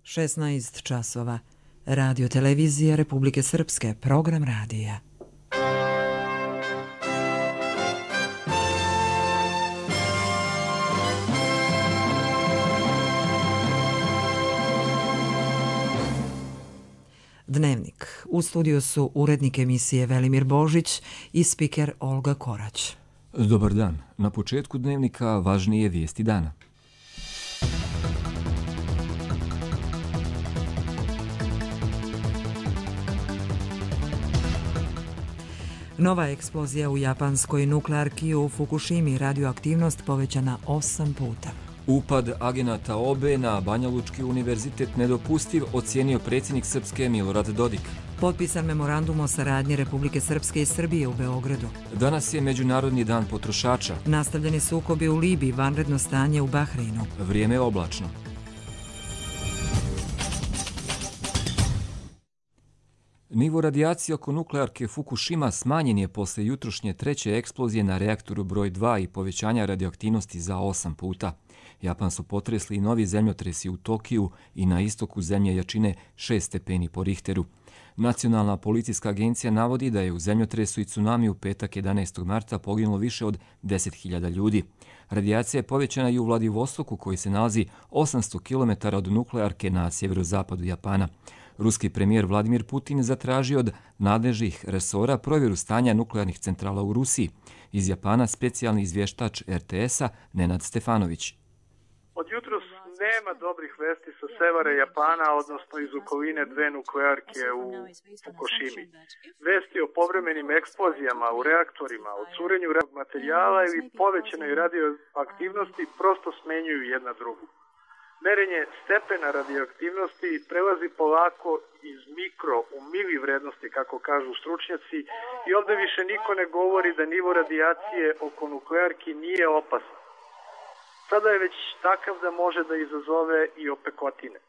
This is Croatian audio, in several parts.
16 časova. Radio Televizija Republike Srpske, program radija. Dnevnik. U studiju su urednik emisije Velimir Božić i spiker Olga Korać. Dobar dan. Na početku dnevnika važnije vijesti dana. Nova eksplozija u japanskoj nuklearki u Fukushimi, radioaktivnost povećana 8 puta. Upad agenata OBE na Banjalučki univerzitet nedopustiv, ocijenio predsjednik Srpske Milorad Dodik. Potpisan memorandum o saradnji Republike Srpske i Srbije u Beogradu. Danas je Međunarodni dan potrošača. Nastavljeni sukobi u Libiji, vanredno stanje u Bahreinu. Vrijeme je oblačno. Nivo radijacije oko nuklearke Fukushima smanjen je posle jutrošnje treće eksplozije na reaktoru broj 2 i povećanja radioaktivnosti za 8 puta. Japan su potresli i novi zemljotresi u Tokiju i na istoku zemlje jačine 6 stepeni po Richteru. Nacionalna policijska agencija navodi da je u zemljotresu i tsunami u petak 11. marta poginulo više od 10.000 ljudi. Radijacija je povećana i u Vladivostoku koji se nalazi 800 km od nuklearke na sjeverozapadu Japana. Ruski premijer Vladimir Putin zatražio od nadležnih resora provjeru stanja nuklearnih centrala u Rusiji. Iz Japana specijalni izvještač RTS-a Nenad Stefanović. Od jutros nema dobrih vesti sa severa Japana, odnosno iz okoline dve nuklearke u Fukushimi. Vesti o povremenim eksplozijama u reaktorima, o curenju materijala ili povećanoj radioaktivnosti prosto smenjuju jedna drugu. Merenje stepena radioaktivnosti prelazi polako iz mikro u mili vrednosti, kako kažu stručnjaci, i ovdje više niko ne govori da nivo radijacije oko nuklearki nije opasan. Sada je već takav da može da izazove i opekotine.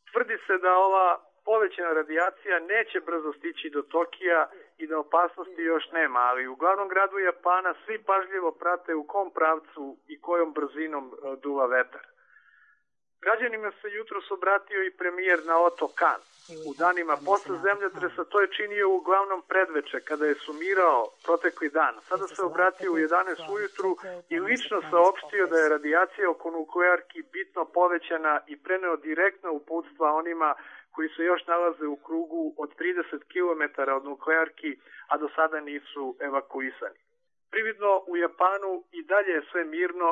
Tvrdi se da ova povećana radijacija neće brzo stići do Tokija i da opasnosti još nema, ali u glavnom gradu Japana svi pažljivo prate u kom pravcu i kojom brzinom duva vetar. Građanima se jutros obratio i premijer Naoto Kan. U danima posle zemljotresa to je činio uglavnom predveče kada je sumirao protekli dan. Sada se obratio u 11 ujutru i lično saopštio da je radijacija oko nuklearki bitno povećana i preneo direktno uputstva onima koji se još nalaze u krugu od 30 km od nuklearki, a do sada nisu evakuisani. Prividno u Japanu i dalje je sve mirno,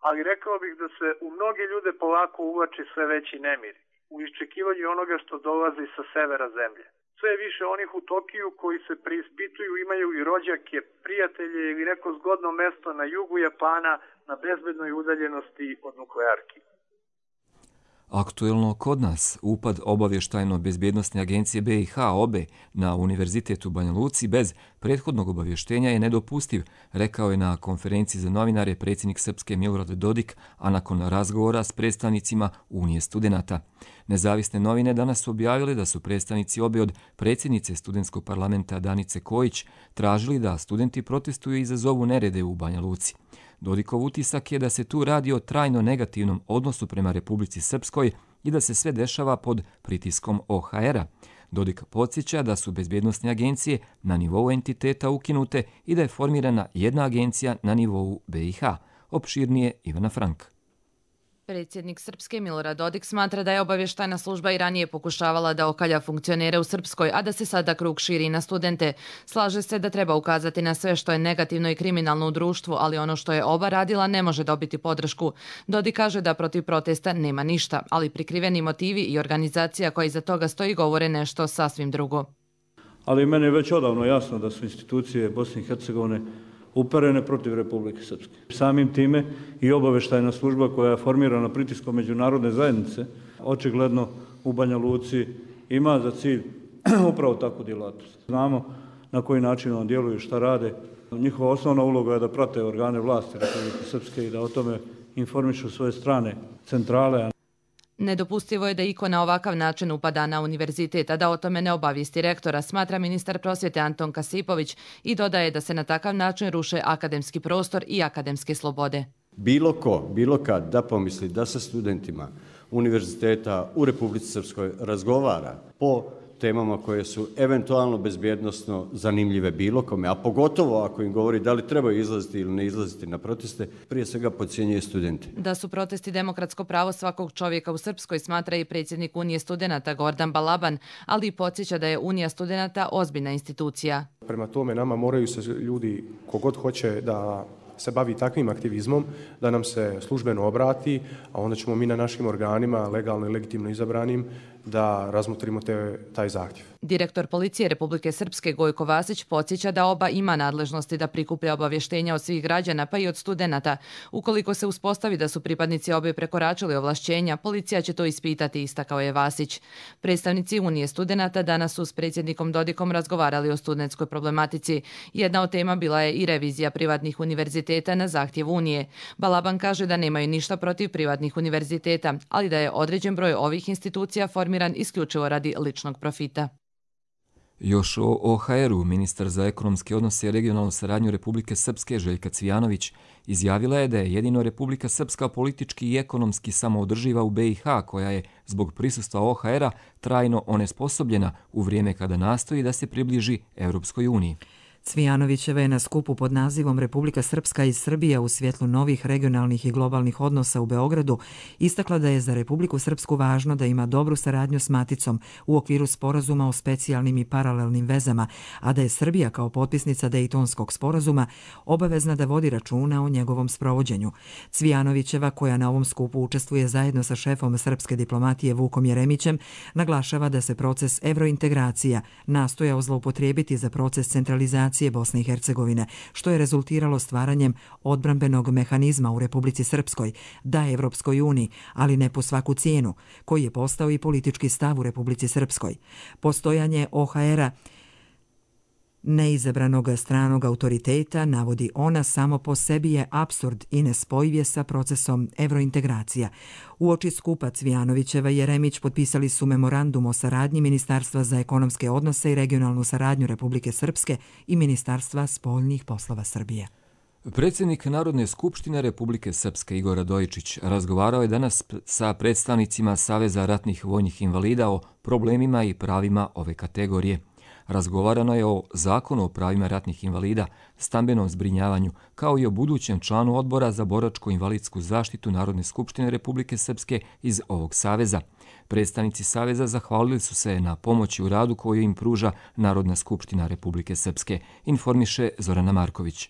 ali rekao bih da se u mnoge ljude polako uvlači sve veći nemir u iščekivanju onoga što dolazi sa severa zemlje. Sve je više onih u Tokiju koji se preispituju, imaju i rođake, prijatelje ili neko zgodno mesto na jugu Japana na bezbednoj udaljenosti od nuklearki. Aktuelno kod nas, upad obavještajno-bezbjednostne agencije BiH OBE na Univerzitet u Banja Luci bez prethodnog obavještenja je nedopustiv, rekao je na konferenciji za novinare predsjednik Srpske Milorad Dodik, a nakon razgovora s predstavnicima Unije studenata. Nezavisne novine danas su objavile da su predstavnici OBE od predsjednice studentskog parlamenta Danice Kojić tražili da studenti protestuju i izazovu nerede u Banja Luci. Dodikov utisak je da se tu radi o trajno negativnom odnosu prema Republici Srpskoj i da se sve dešava pod pritiskom OHR-a. Dodik podsjeća da su bezbjednosne agencije na nivou entiteta ukinute i da je formirana jedna agencija na nivou BiH. Opširnije Ivana Frank. Predsjednik Srpske Milorad Dodik smatra da je obavještajna služba i ranije pokušavala da okalja funkcionere u Srpskoj, a da se sada krug širi na studente. Slaže se da treba ukazati na sve što je negativno i kriminalno u društvu, ali ono što je oba radila ne može dobiti podršku. Dodik kaže da protiv protesta nema ništa, ali prikriveni motivi i organizacija koja iza toga stoji govore nešto sasvim drugo. Ali meni je već odavno jasno da su institucije Bosne i Hercegovine uperene protiv Republike Srpske. Samim time i obavještajna služba koja je formirana pritiskom međunarodne zajednice, očigledno u Banja Luci ima za cilj upravo takvu djelatnost. Znamo na koji način on djeluju, šta rade. Njihova osnovna uloga je da prate organe vlasti Republike Srpske i da o tome informišu svoje strane centrale. Nedopustivo je da iko na ovakav način upada na univerzitet, a da o tome ne obavijesti rektora, smatra ministar prosvjete Anton Kasipović i dodaje da se na takav način ruše akademski prostor i akademske slobode. Bilo ko, bilo kad da pomisli da sa studentima univerziteta u Republici Srpskoj razgovara po temama koje su eventualno bezbjednosno zanimljive bilo kome, a pogotovo ako im govori da li trebaju izlaziti ili ne izlaziti na proteste, prije svega podcjenjuje studente. Da su protesti demokratsko pravo svakog čovjeka u Srpskoj, smatra i predsjednik Unije studenata Gordan Balaban, ali i podsjeća da je Unija studenata ozbiljna institucija. Prema tome nama moraju se ljudi, kogod hoće da se bavi takvim aktivizmom, da nam se službeno obrati, a onda ćemo mi na našim organima, legalno i legitimno izabranim, da razmotrimo taj zahtjev. Direktor policije Republike Srpske Gojko Vasić podsjeća da OBA ima nadležnosti da prikuplja obavještenja od svih građana pa i od studenata. Ukoliko se uspostavi da su pripadnici OBA prekoračili ovlašćenja, policija će to ispitati, istakao je Vasić. Predstavnici Unije studenata danas su s predsjednikom Dodikom razgovarali o studentskoj problematici. Jedna od tema bila je i revizija privatnih univerziteta na zahtjev Unije. Balaban kaže da nemaju ništa protiv privatnih univerziteta, ali da je određen broj ovih institucija formiran isključivo radi ličnog profita. Još o OHR-u, ministar za ekonomske odnose i regionalnu saradnju Republike Srpske Željka Cvijanović izjavila je da je jedino Republika Srpska politički i ekonomski samoodrživa u BiH, koja je zbog prisustva OHR-a trajno onesposobljena u vrijeme kada nastoji da se približi Europskoj uniji. Cvijanovićeva je na skupu pod nazivom Republika Srpska i Srbija u svjetlu novih regionalnih i globalnih odnosa u Beogradu istakla da je za Republiku Srpsku važno da ima dobru saradnju s maticom u okviru sporazuma o specijalnim i paralelnim vezama, a da je Srbija kao potpisnica Dejtonskog sporazuma obavezna da vodi računa o njegovom sprovođenju. Cvijanovićeva, koja na ovom skupu učestvuje zajedno sa šefom srpske diplomatije Vukom Jeremićem, naglašava da se proces evrointegracija nastojao zloupotrijebiti za proces centralizacije Bosne i Hercegovine, što je rezultiralo stvaranjem odbrambenog mehanizma u Republici Srpskoj da Evropskoj uniji, ali ne po svaku cijenu, koji je postao i politički stav u Republici Srpskoj. Postojanje OHR-a, neizabranog stranog autoriteta, navodi ona, samo po sebi je apsurd i nespojiv je sa procesom evrointegracija. Uoči skupa Cvijanovićeva i Jeremić potpisali su memorandum o saradnji Ministarstva za ekonomske odnose i regionalnu saradnju Republike Srpske i Ministarstva spoljnih poslova Srbije. Predsjednik Narodne skupštine Republike Srpske Igor Radojičić razgovarao je danas sa predstavnicima Saveza ratnih vojnih invalida o problemima i pravima ove kategorije. Razgovarano je o Zakonu o pravima ratnih invalida, stambenom zbrinjavanju, kao i o budućem članu odbora za boračko-invalidsku zaštitu Narodne skupštine Republike Srpske iz ovog saveza. Predstavnici saveza zahvalili su se na pomoći u radu koju im pruža Narodna skupština Republike Srpske, informiše Zorana Marković.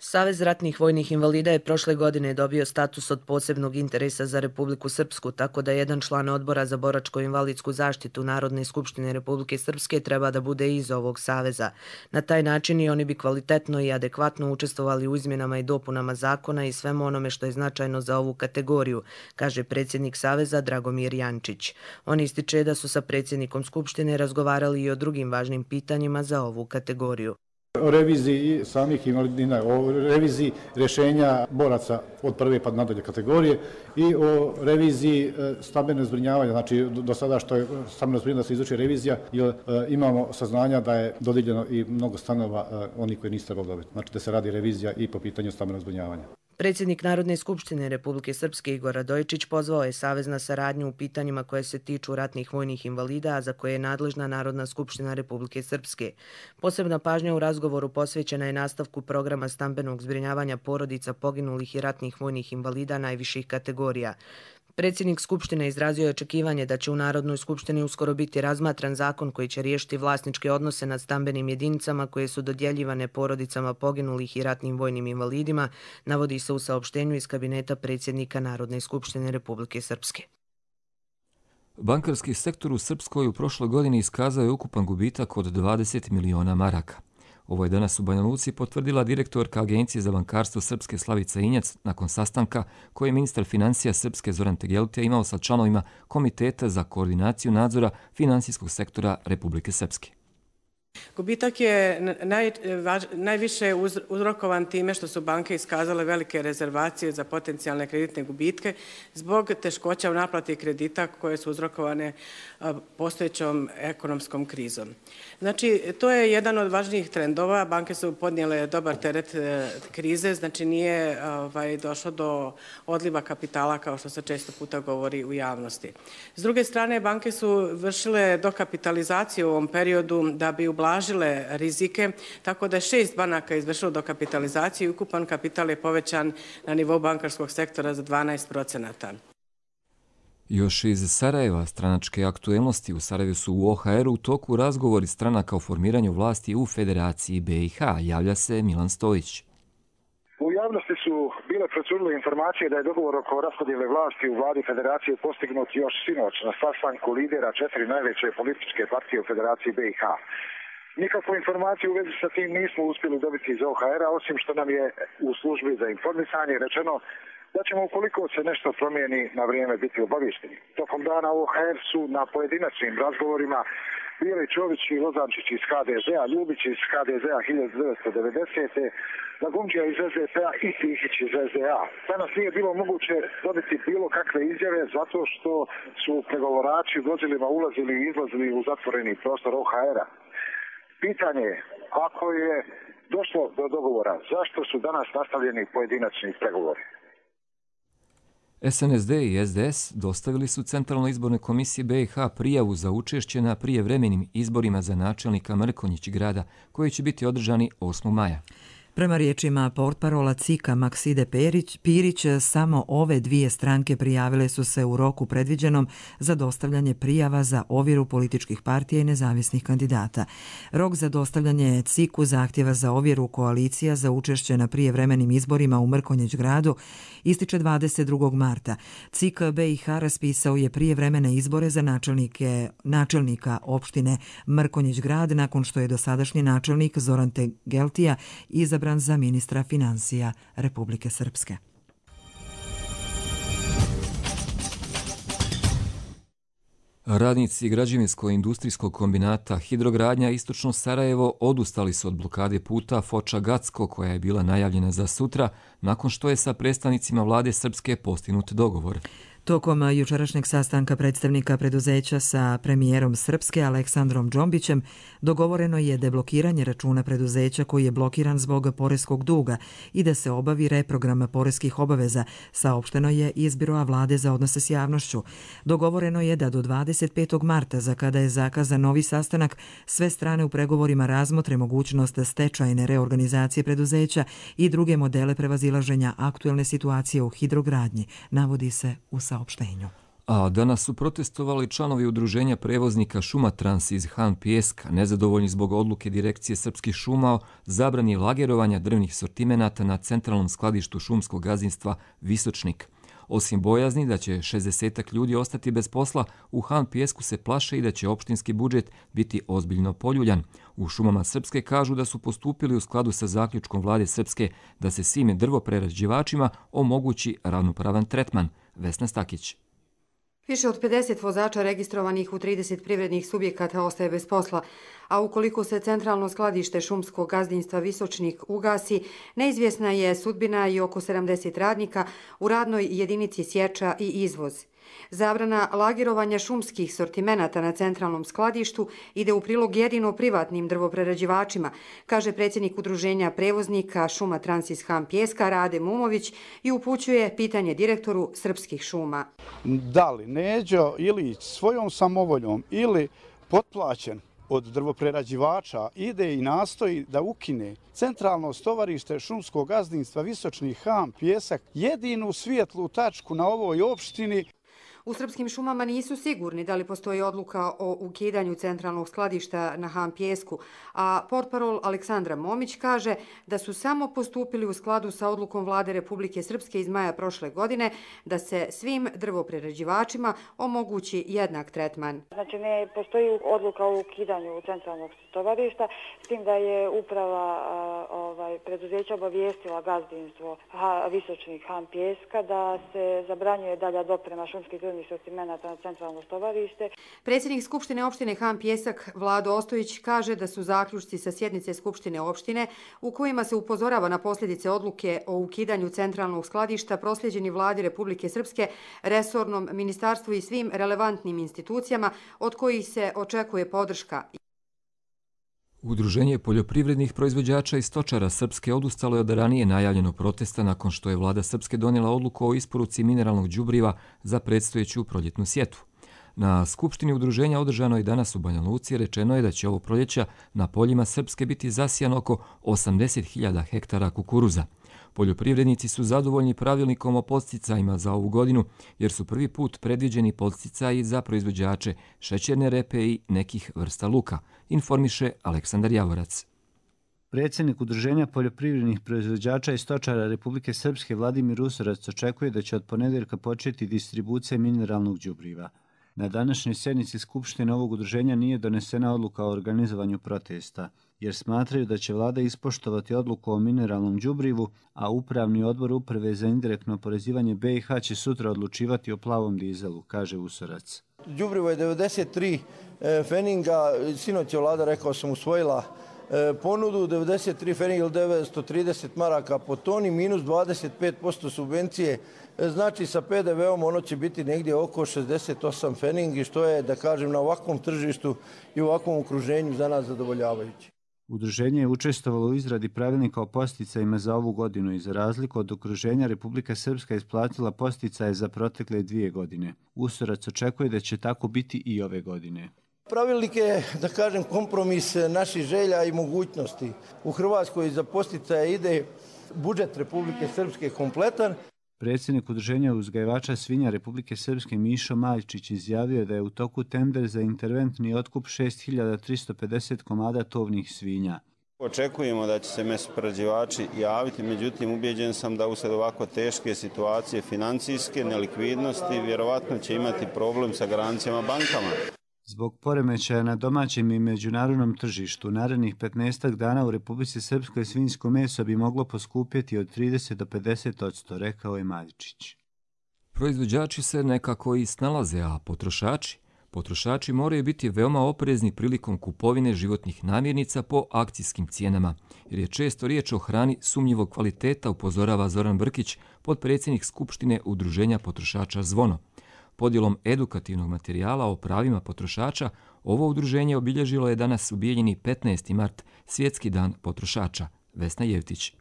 Savez ratnih vojnih invalida je prošle godine dobio status od posebnog interesa za Republiku Srpsku, tako da jedan član odbora za boračko-invalidsku zaštitu Narodne skupštine Republike Srpske treba da bude iz ovog saveza. Na taj način i oni bi kvalitetno i adekvatno učestvovali u izmjenama i dopunama zakona i svemu onome što je značajno za ovu kategoriju, kaže predsjednik saveza Dragomir Jančić. On ističe da su sa predsjednikom Skupštine razgovarali i o drugim važnim pitanjima za ovu kategoriju. O reviziji samih invalidnina, o reviziji rješenja boraca od prve pa nadalje kategorije i o reviziji stambenog zbrinjavanja, znači do sada što je stambeno zbrinjavanje da se izvrši revizija, jer imamo saznanja da je dodijeljeno i mnogo stanova onih koji nisu trebali dobiti. Znači da se radi revizija i po pitanju stambenog zbrinjavanja. Predsjednik Narodne skupštine Republike Srpske Igor Radojičić pozvao je savez na saradnju u pitanjima koje se tiču ratnih vojnih invalida, a za koje je nadležna Narodna skupština Republike Srpske. Posebna pažnja u razgovoru posvećena je nastavku programa stambenog zbrinjavanja porodica poginulih i ratnih vojnih invalida najviših kategorija. Predsjednik Skupštine izrazio je očekivanje da će u Narodnoj skupštini uskoro biti razmatran zakon koji će riješiti vlasničke odnose nad stambenim jedinicama koje su dodjeljivane porodicama poginulih i ratnim vojnim invalidima, navodi se u saopštenju iz kabineta predsjednika Narodne skupštine Republike Srpske. Bankarski sektor u Srpskoj u prošloj godini iskazao je ukupan gubitak od 20 miliona maraka. Ovo je danas u Banja Luci potvrdila direktorka Agencije za bankarstvo Srpske Slavica Injac nakon sastanka koji je ministar financija Srpske Zoran Tegeltija imao sa članovima Komiteta za koordinaciju nadzora finansijskog sektora Republike Srpske. Gubitak je najviše uzrokovan time što su banke iskazale velike rezervacije za potencijalne kreditne gubitke zbog teškoća u naplati kredita koje su uzrokovane postojećom ekonomskom krizom. Znači, to je jedan od važnijih trendova. Banke su podnijele dobar teret krize, znači nije došlo do odliva kapitala kao što se često puta govori u javnosti. S druge strane, banke su vršile dokapitalizaciju u ovom periodu da bi ublažile rizike, tako da je 6 banaka izvršilo dokapitalizaciju i ukupan kapital je povećan na nivou bankarskog sektora za 12%. Još iz Sarajeva stranačke aktuelnosti u Sarajevu su u OHR u toku razgovori stranaka o formiranju vlasti u Federaciji BiH. Javlja se Milan Stojić. U javnosti su bile procurile informacije da je dogovor oko raspodjele vlasti u vladi Federacije postignut još sinoć na sastanku lidera 4 najveće političke partije u Federaciji BiH. Nikakvu informaciju u vezi sa tim nismo uspjeli dobiti iz OHR-a, osim što nam je u službi za informisanje rečeno da ćemo, ukoliko se nešto promijeni, na vrijeme biti obaviješteni. Tokom dana OHR su na pojedinačnim razgovorima bili Čović i Lozančić iz HDZ-a, Ljubić iz HDZ-a 1990. Lagumđija iz SDP-a i Tihić iz SDA. Danas nije bilo moguće dobiti bilo kakve izjave zato što su pregovorači vozilima ulazili i izlazili u zatvoreni prostor OHR-a. Pitanje je, ako je došlo do dogovora, zašto su danas nastavljeni pojedinačni pregovori? SNSD i SDS dostavili su Centralnoj izbornoj komisiji BiH prijavu za učešće na prijevremenim izborima za načelnika Mrkonjić grada, koji će biti održani 8. maja. Prema riječima portparola CIK-a Makside Pirić, samo ove dvije stranke prijavile su se u roku predviđenom za dostavljanje prijava za ovjeru političkih partija i nezavisnih kandidata. Rok za dostavljanje CIK-u zahtjeva za ovjeru koalicija za učešće na prijevremenim izborima u Mrkonjić gradu ističe 22. marta. CIK BiH raspisao je prijevremene izbore za načelnika opštine Mrkonjić grad nakon što je dosadašnji načelnik Zoran Tegeltija izabran za ministra financija Republike Srpske. Radnici građevinsko-industrijskog kombinata Hidrogradnja Istočno Sarajevo odustali su od blokade puta Foča-Gacko koja je bila najavljena za sutra nakon što je sa predstavnicima vlade Srpske postignut dogovor. Tokom jučerašnjeg sastanka predstavnika preduzeća sa premijerom Srpske Aleksandrom Džombićem dogovoreno je deblokiranje računa preduzeća koji je blokiran zbog poreskog duga i da se obavi reprogram poreskih obaveza, saopšteno je iz Biroa vlade za odnose s javnošću. Dogovoreno je da do 25. marta, za kada je zakazan novi sastanak, sve strane u pregovorima razmotre mogućnost stečajne reorganizacije preduzeća i druge modele prevazilaženja aktuelne situacije u hidrogradnji, navodi se u saopštenju. A danas su protestovali članovi udruženja prevoznika Šumatrans iz Han Pijeska, nezadovoljni zbog odluke Direkcije Srpskih šuma o zabrani lagerovanja drvnih sortimenata na centralnom skladištu šumskog gazdinstva Visočnik. Osim bojazni da će 60 ljudi ostati bez posla, u Han Pijesku se plaše i da će opštinski budžet biti ozbiljno poljuljan. U Šumama Srpske kažu da su postupili u skladu sa zaključkom vlade Srpske da se svim drvoprerađivačima omogući ravnopravan tretman. Vesna Stakić. Više od 50 vozača registrovanih u 30 privrednih subjekata ostaje bez posla, a ukoliko se centralno skladište šumskog gazdinstva Visočnik ugasi, neizvjesna je sudbina i oko 70 radnika u radnoj jedinici sječa i izvoz. Zabrana lagerovanja šumskih sortimenata na centralnom skladištu ide u prilog jedino privatnim drvoprerađivačima, kaže predsjednik udruženja prevoznika Šumatrans iz Han Pijeska Rade Mumović i upućuje pitanje direktoru Srpskih šuma. Da li Neđo Ilić svojom samovoljom ili potplaćen od drvoprerađivača ide i nastoji da ukine centralno stovarište šumskog gazdinstva Visočni Han Pijesak, jedinu svijetlu tačku na ovoj opštini. U Srpskim šumama nisu sigurni da li postoji odluka o ukidanju centralnog skladišta na Han Pijesku, a portparol Aleksandra Momić kaže da su samo postupili u skladu sa odlukom vlade Republike Srpske iz maja prošle godine da se svim drvoprerađivačima omogući jednak tretman. Znači ne postoji odluka o ukidanju centralnog stovarišta, s tim da je uprava preduzeća obavijestila gazdinstvo Visočnik Han Pijeska da se zabranjuje dalja doprema šumskih drvnih sortimenata na centralno stovarište. Predsjednik Skupštine opštine Han Pijesak Vlado Ostojić kaže da su zaključci sa sjednice Skupštine opštine u kojima se upozorava na posljedice odluke o ukidanju centralnog skladišta prosljeđeni Vladi Republike Srpske, resornom ministarstvu i svim relevantnim institucijama od kojih se očekuje podrška. Udruženje poljoprivrednih proizvođača i stočara Srpske odustalo je od ranije najavljenog protesta nakon što je vlada Srpske donijela odluku o isporuci mineralnog đubriva za predstojeću proljetnu sjetvu. Na skupštini udruženja održanoj i danas u Banja Luci rečeno je da će ovo proljeća na poljima Srpske biti zasijano oko 80.000 hektara kukuruza. Poljoprivrednici su zadovoljni pravilnikom o podsticajima za ovu godinu jer su prvi put predviđeni podsticaji za proizvođače šećerne repe i nekih vrsta luka, informiše Aleksandar Javorac. Predsjednik Udruženja poljoprivrednih proizvođača i stočara Republike Srpske Vladimir Usorac očekuje da će od ponedjeljka početi distribucija mineralnog đubriva. Na današnjoj sjednici Skupštine ovog udruženja nije donesena odluka o organizovanju protesta, jer smatraju da će vlada ispoštovati odluku o mineralnom đubrivu, a Upravni odbor Uprave za indirektno oporezivanje BiH će sutra odlučivati o plavom dizelu, kaže Usorac. Đubrivo je 93 feninga, sinoć je vlada, rekao sam, usvojila ponudu, 93 feninga ili 930 maraka po toni, minus 25% subvencije, znači sa PDV-om ono će biti negdje oko 68 feningi, što je, da kažem, na ovakvom tržištu i u ovakvom okruženju za nas zadovoljavajuće. Udruženje je učestvovalo u izradi pravilnika o posticajima za ovu godinu i za razliku od okruženja Republika Srpska isplatila posticaje za protekle 2 godine. Usorac očekuje da će tako biti i ove godine. Pravilnik je, da kažem, kompromis naših želja i mogućnosti. U Hrvatskoj za posticaje ide budžet Republike Srpske kompletan. Predsjednik Udruženja uzgajivača svinja Republike Srpske Mišo Maljčić izjavio da je u toku tender za interventni otkup 6.350 komada tovnih svinja. Očekujemo da će se mesoprerađivači javiti, međutim ubeđen sam da usred ovako teške situacije financijske, nelikvidnosti, vjerovatno će imati problem sa garancijama bankama. Zbog poremećaja na domaćem i međunarodnom tržištu, narednih 15 dana u Republici Srpskoj svinjsko meso bi moglo poskupjeti od 30 do 50%, rekao je Maljčić. Proizvođači se nekako i snalaze, a potrošači moraju biti veoma oprezni prilikom kupovine životnih namirnica po akcijskim cijenama, jer je često riječ o hrani sumnjivog kvaliteta, upozorava Zoran Brkić, potpredsjednik Skupštine Udruženja potrošača Zvono. Podjelom edukativnog materijala o pravima potrošača, ovo udruženje obilježilo je danas u Bijeljini 15. mart, Svjetski dan potrošača. Vesna Jevtić.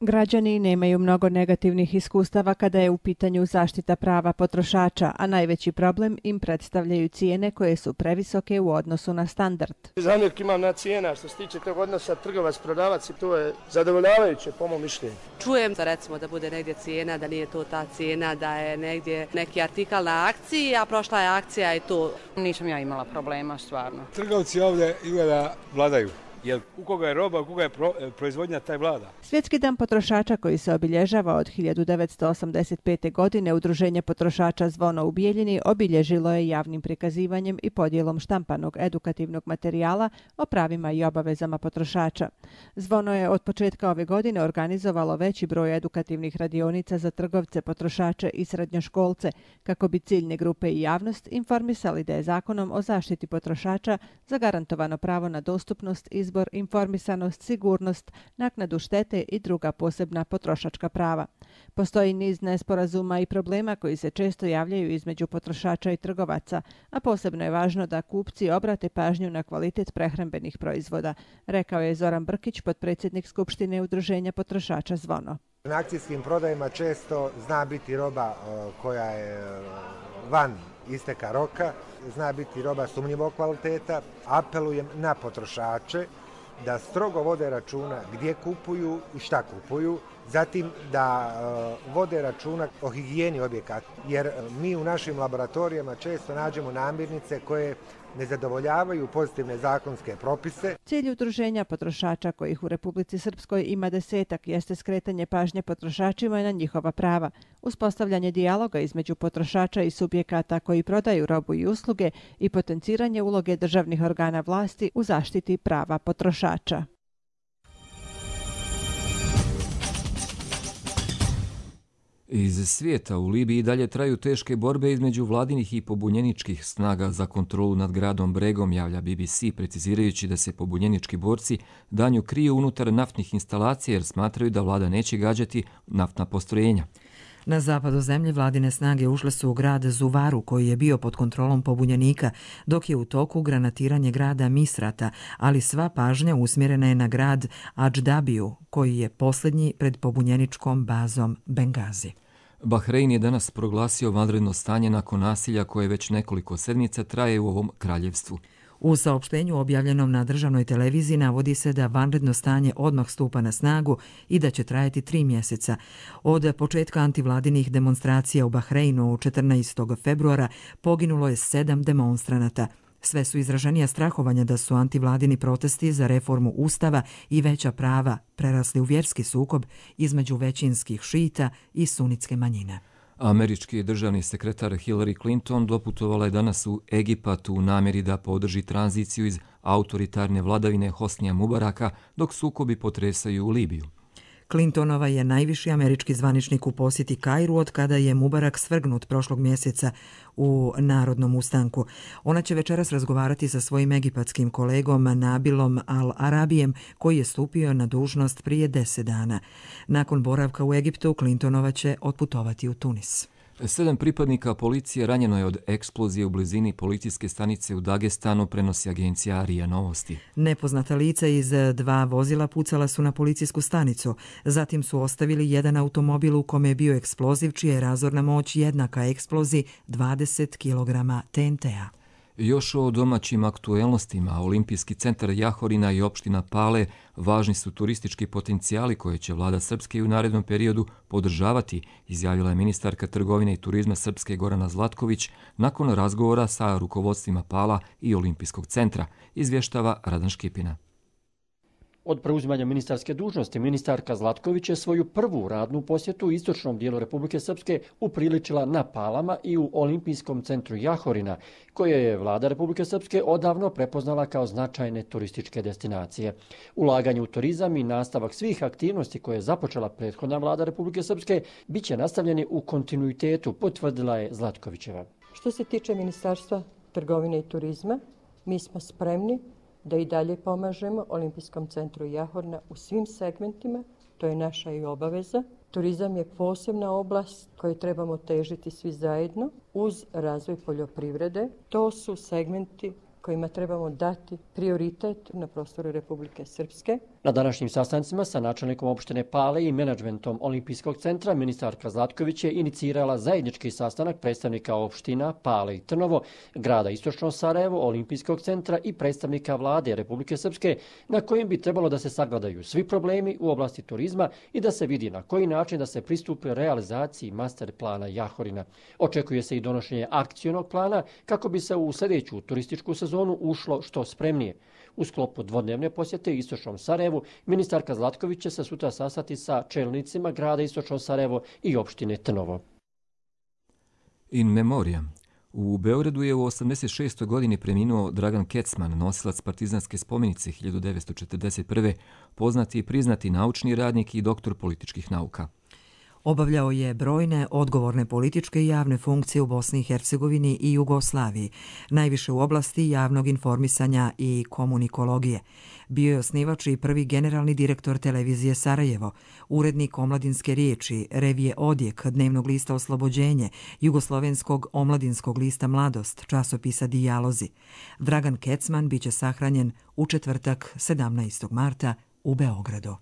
Građani nemaju mnogo negativnih iskustava kada je u pitanju zaštita prava potrošača, a najveći problem im predstavljaju cijene koje su previsoke u odnosu na standard. Zamjerke imam na cijena, što se tiče tog odnosa trgovac-prodavac i to je zadovoljavajuće po mom mišljenju. Čujem da recimo da bude negdje cijena, da nije to ta cijena, da je negdje neki artikal na akciji, a prošla je akcija i to. Nisam ja imala problema, stvarno. Trgovci ovdje izgleda vladaju. Jer u koga je roba, u koga je proizvodnja, taj vlada. Svjetski dan potrošača koji se obilježava od 1985. godine Udruženje potrošača Zvono u Bijeljini obilježilo je javnim prikazivanjem i podjelom štampanog edukativnog materijala o pravima i obavezama potrošača. Zvono je od početka ove godine organizovalo veći broj edukativnih radionica za trgovce, potrošače i srednjoškolce kako bi ciljne grupe i javnost informisali da je Zakonom o zaštiti potrošača zagarantovano pravo na dostupnost, izbor, informisanost, sigurnost, naknadu štete i druga posebna potrošačka prava. Postoji niz nesporazuma i problema koji se često javljaju između potrošača i trgovaca, a posebno je važno da kupci obrate pažnju na kvalitet prehrambenih proizvoda, rekao je Zoran Brkić, potpredsjednik Skupštine Udruženja potrošača Zvono. Na akcijskim prodajima često zna biti roba koja je van isteka roka, zna biti roba sumnjivog kvaliteta. Apelujem na potrošače da strogo vode računa gdje kupuju i šta kupuju, zatim da vode računa o higijeni objekata, jer mi u našim laboratorijama često nađemo namirnice koje ne zadovoljavaju pozitivne zakonske propise. Cilj udruženja potrošača, kojih u Republici Srpskoj ima 10, jeste skretanje pažnje potrošačima na njihova prava, uspostavljanje dijaloga između potrošača i subjekata koji prodaju robu i usluge i potenciranje uloge državnih organa vlasti u zaštiti prava potrošača. Iz svijeta u Libiji dalje traju teške borbe između vladinih i pobunjeničkih snaga za kontrolu nad gradom Bregom, javlja BBC, precizirajući da se pobunjenički borci danju kriju unutar naftnih instalacija jer smatraju da vlada neće gađati naftna postrojenja. Na zapadu zemlje vladine snage ušle su u grad Zuvaru, koji je bio pod kontrolom pobunjenika, dok je u toku granatiranje grada Misrata, ali sva pažnja usmjerena je na grad Adždabiju, koji je posljednji pred pobunjeničkom bazom Bengazi. Bahrein je danas proglasio vanredno stanje nakon nasilja koje već nekoliko sedmica traje u ovom kraljevstvu. U saopštenju objavljenom na državnoj televiziji navodi se da vanredno stanje odmah stupa na snagu i da će trajati 3 mjeseca. Od početka antivladinih demonstracija u Bahreinu 14. februara poginulo je 7 demonstranata. Sve su izraženija strahovanja da su antivladini protesti za reformu ustava i veća prava prerasli u vjerski sukob između većinskih šita i sunitske manjine. Američki državni sekretar Hillary Clinton doputovala je danas u Egipat u namjeri da podrži tranziciju iz autoritarne vladavine Hosnija Mubaraka dok sukobi potresaju u Libiju. Clintonova je najviši američki zvaničnik u posjeti Kairu od kada je Mubarak svrgnut prošlog mjeseca u narodnom ustanku. Ona će večeras razgovarati sa svojim egipatskim kolegom Nabilom Al-Arabijem, koji je stupio na dužnost prije 10 dana. Nakon boravka u Egiptu, Clintonova će otputovati u Tunis. 7 pripadnika policije ranjeno je od eksplozije u blizini policijske stanice u Dagestanu, prenosi agencija RIA Novosti. Nepoznata lica iz 2 vozila pucala su na policijsku stanicu. Zatim su ostavili jedan automobil u kome je bio eksploziv, čija je razorna moć jednaka eksploziji 20 kg TNT-a. Još o domaćim aktuelnostima, Olimpijski centar Jahorina i opština Pale važni su turistički potencijali koje će vlada Srpske u narednom periodu podržavati, izjavila je ministarka trgovine i turizma Srpske Gorana Zlatković nakon razgovora sa rukovodstvima Pala i Olimpijskog centra, izvještava Radan Škipina. Od preuzimanja ministarske dužnosti, ministarka Zlatković je svoju prvu radnu posjetu u istočnom dijelu Republike Srpske upriličila na Palama i u Olimpijskom centru Jahorina, koje je vlada Republike Srpske odavno prepoznala kao značajne turističke destinacije. Ulaganje u turizam i nastavak svih aktivnosti koje je započela prethodna vlada Republike Srpske bit će nastavljeni u kontinuitetu, potvrdila je Zlatkovićeva. Što se tiče Ministarstva trgovine i turizma, mi smo spremni da i dalje pomažemo Olimpijskom centru Jahorina u svim segmentima, to je naša i obaveza. Turizam je posebna oblast koju trebamo težiti svi zajedno uz razvoj poljoprivrede. To su segmenti kojima trebamo dati prioritet na prostoru Republike Srpske. Na današnjim sastancima sa načelnikom opštine Pale i menadžmentom Olimpijskog centra ministarka Zlatković je inicirala zajednički sastanak predstavnika opština Pale i Trnovo, grada Istočno Sarajevo, Olimpijskog centra i predstavnika vlade Republike Srpske, na kojim bi trebalo da se sagledaju svi problemi u oblasti turizma i da se vidi na koji način da se pristupi realizaciji master plana Jahorina. Očekuje se i donošenje akcionog plana kako bi se u sljedeću turističku sezonu ušlo što spremnije. U sklopu dvodnevne posjete Istočnom Sarajevu, ministarka Zlatković će se sutra sastati sa čelnicima grada Istočno Sarajevo i opštine Trnovo. In memoriam. U Beogradu je u 86. godini preminuo Dragan Kecman, nosilac partizanske spomenice 1941. poznati i priznati naučni radnik i doktor političkih nauka. Obavljao je brojne odgovorne političke i javne funkcije u Bosni i Hercegovini i Jugoslaviji, najviše u oblasti javnog informisanja i komunikologije. Bio je osnivač i prvi generalni direktor televizije Sarajevo, urednik Omladinske riječi, revije Odjek, dnevnog lista Oslobođenje, jugoslovenskog omladinskog lista Mladost, časopisa Dijalozi. Dragan Kecman biće sahranjen u četvrtak 17. marta u Beogradu.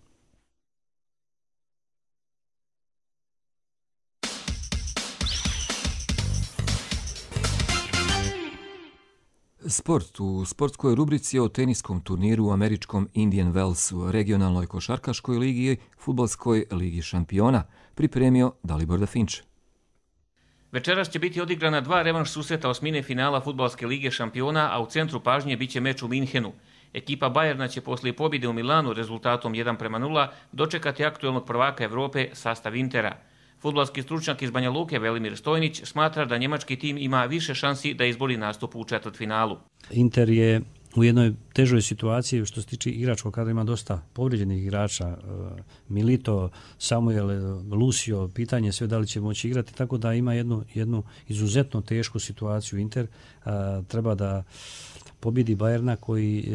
Sport. U sportskoj rubrici o teniskom turniru u američkom Indian Wellsu, regionalnoj košarkaškoj ligi i fudbalskoj ligi šampiona, pripremio Dalibor Dafinč. Večeras će biti odigrana 2 revanš susreta osmine finala fudbalske lige šampiona, a u centru pažnje biće meč u Minhenu. Ekipa Bajerna će poslije pobjede u Milanu rezultatom 1:0 dočekati aktuelnog prvaka Evrope sastav Intera. Fudbalski stručnjak iz Banja Luke Velimir Stojnić smatra da njemački tim ima više šansi da izbori nastup u četvrtfinalu. Inter je u jednoj težoj situaciji što se tiče igračkog kada ima dosta povrijeđenih igrača, Milito, Samuel, Lucio, pitanje sve da li će moći igrati, tako da ima jednu izuzetno tešku situaciju. Inter treba da pobjedi Bayerna koji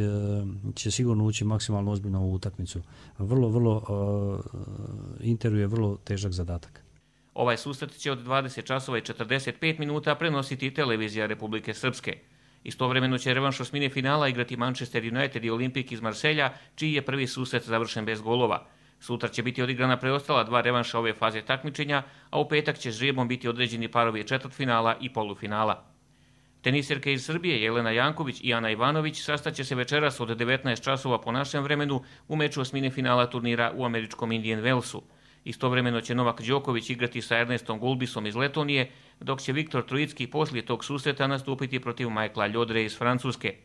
će sigurno ući maksimalno ozbiljno u utakmicu. Interu je vrlo težak zadatak. Ovaj susret će od 20 časova i 45 minuta prenositi televizija Republike Srpske. Istovremeno će revanš osmine finala igrati Manchester United i Olimpik iz Marselja, čiji je prvi susret završen bez golova. Sutra će biti odigrana preostala 2 revanša ove faze takmičenja, a u petak će žrebom biti određeni parovi četvrtfinala i polufinala. Teniserke iz Srbije Jelena Janković i Ana Ivanović sastaće se večeras od 19 časova po našem vremenu u meču osmine finala turnira u američkom Indian Wellsu. Istovremeno će Novak Đoković igrati sa Ernestom Gulbisom iz Letonije, dok će Viktor Trojicki poslije tog susreta nastupiti protiv Michaela Ljodre iz Francuske.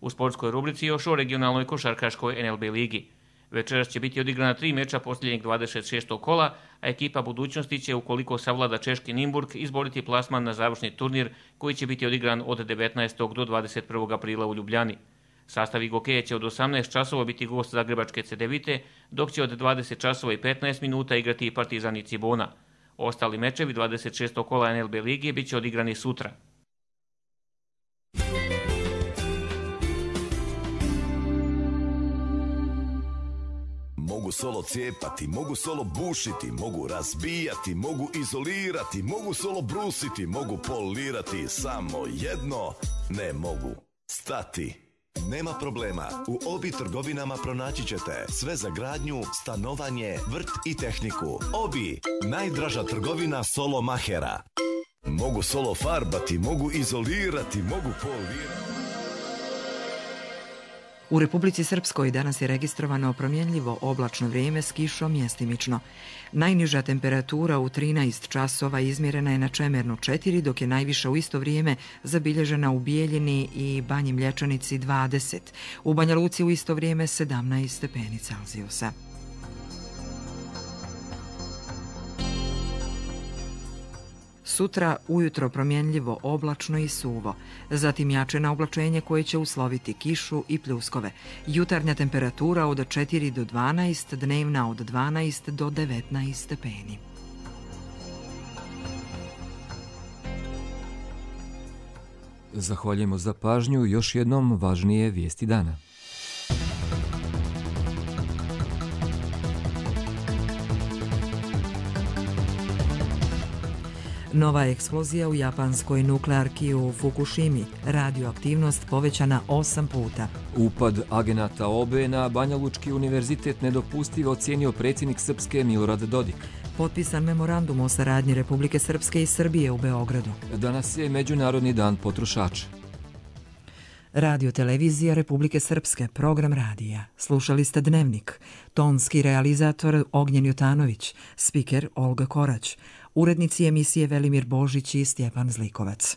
U sportskoj rubrici još o regionalnoj košarkaškoj NLB ligi. Večeras će biti odigrana 3 meča posljednjeg 26. kola, a ekipa budućnosti će, ukoliko savlada češki Nimburg, izboriti plasman na završni turnir koji će biti odigran od 19. do 21. aprila u Ljubljani. Sastav Igokeje će od 18 časova biti gost zagrebačke Cedevite, dok će od 20 časova i 15 minuta igrati i Partizan i Cibona. Ostali mečevi 26. kola NLB lige bit će odigrani sutra. Mogu solo cijepati, mogu solo bušiti, mogu razbijati, mogu izolirati, mogu solo brusiti, mogu polirati, samo jedno ne mogu stati. Nema problema, u Obi trgovinama pronaći ćete sve za gradnju, stanovanje, vrt i tehniku. Obi, najdraža trgovina solo mahera. Mogu solo farbati, mogu izolirati, mogu polirati. U Republici Srpskoj danas je registrovano promjenljivo oblačno vrijeme s kišom mjestimično. Najniža temperatura u 13 časova izmjerena je na Čemernu 4, dok je najviša u isto vrijeme zabilježena u Bijeljini i Banji Mlječanici 20. U Banja Luci u isto vrijeme 17 stepeni Celzijusa. Sutra ujutro promjenljivo oblačno i suvo, zatim jače na oblačenje koje će usloviti kišu i pljuskove. Jutarnja temperatura od 4 do 12, dnevna od 12 do 19 stepeni. Zahvaljujemo za pažnju. Još jednom važnije vijesti dana. Nova eksplozija u japanskoj nuklearki u Fukushimi. Radioaktivnost povećana 8 puta. Upad agenata OBE na Banja Lučki univerzitet nedopustivo ocijenio predsjednik Srpske Milorad Dodik. Potpisan memorandum o saradnji Republike Srpske i Srbije u Beogradu. Danas je Međunarodni dan potrošača. Radio televizija Republike Srpske, program radija. Slušali ste Dnevnik. Tonski realizator Ognjen Jutanović, spiker Olga Korać. Urednici emisije Velimir Božić i Stjepan Zlikovac.